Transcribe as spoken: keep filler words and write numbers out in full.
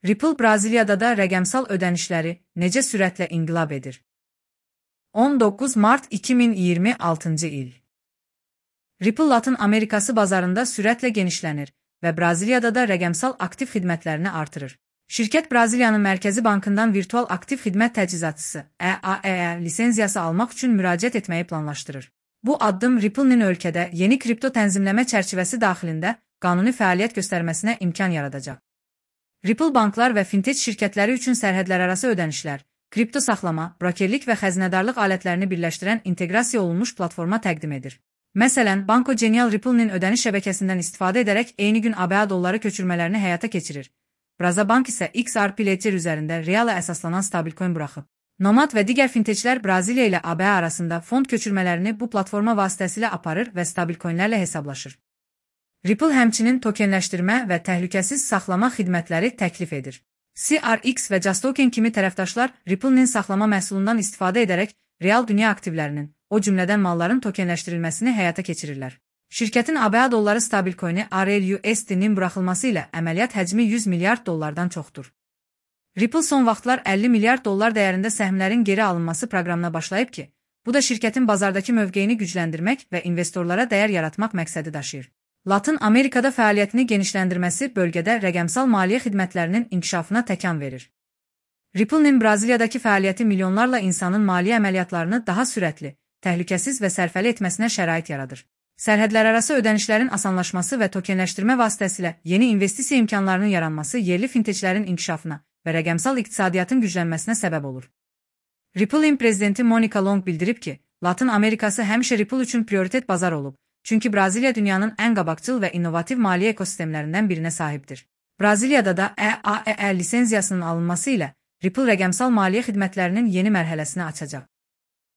Ripple Braziliyada da rəqəmsal ödənişləri necə sürətlə inqilab edir? on doqquz mart iki min iyirmi altıncı il. Ripple Latın Amerikası bazarında sürətlə genişlənir və Braziliyada da rəqəmsal aktiv xidmətlərini artırır. Şirkət Braziliyanın Mərkəzi Bankından virtual aktiv xidmət təchizatçısı E A E E lisenziyası almaq üçün müraciət etməyi planlaşdırır. Bu addım Ripple'nin ölkədə yeni kripto tənzimləmə çərçivəsi daxilində qanuni fəaliyyət göstərməsinə imkan yaradacaq. Ripple banklar və fintech şirkətləri üçün sərhədlərarası ödənişlər, kripto saxlama, brokerlik və xəzinədarlıq alətlərini birləşdirən inteqrasiya olunmuş platforma təqdim edir. Məsələn, Banco Genial Ripple'nin ödəniş şəbəkəsindən istifadə edərək eyni gün A B A dolları köçürmələrini həyata keçirir. Brazabank isə X R P Ledger üzərində reala əsaslanan stabilcoin buraxıb. Nomad və digər fintechlər Braziliya ilə A B A arasında fond köçürmələrini bu platforma vasitəsilə aparır və stabilcoinlərlə hesablaşır. Ripple həmçinin tokenləşdirmə və təhlükəsiz saxlama xidmətləri təklif edir. C R X və JustToken kimi tərəfdaşlar Ripple'nin saxlama məhsulundan istifadə edərək real dünya aktivlərinin, o cümlədən malların tokenləşdirilməsini həyata keçirirlər. Şirkətin A B A dolları stabilcoini R L U S D-nin buraxılması ilə əməliyyat həcmi yüz milyard dollardan çoxdur. Ripple son vaxtlar əlli milyard dollar dəyərində səhmlərin geri alınması proqramına başlayıb ki, bu da şirkətin bazardakı mövqeyini gücləndirmək və investorlara dəyər yaratmaq məqsədi daşıyır. Latın Amerikada fəaliyyətini genişləndirməsi bölgədə rəqəmsal maliyyə xidmətlərinin inkişafına təkan verir. Ripple'nin Braziliyadakı fəaliyyəti milyonlarla insanın maliyyə əməliyyatlarını daha sürətli, təhlükəsiz və sərfəli etməsinə şərait yaradır. Sərhədlərarası ödənişlərin asanlaşması və tokenləşdirmə vasitəsilə yeni investisiya imkanlarının yaranması yerli fintechlərin inkişafına və rəqəmsal iqtisadiyyatın güclənməsinə səbəb olur. Ripple'in prezidenti Monica Long bildirib ki, Latın Amerikası həmişə Ripple üçün prioritet bazar olub. Çünki Braziliya dünyanın ən qabaqcıl və innovativ maliyyə ekosistemlərindən birinə sahibdir. Braziliyada da E A E E lisenziyasının alınması ilə Ripple rəqəmsal maliyyə xidmətlərinin yeni mərhələsini açacaq.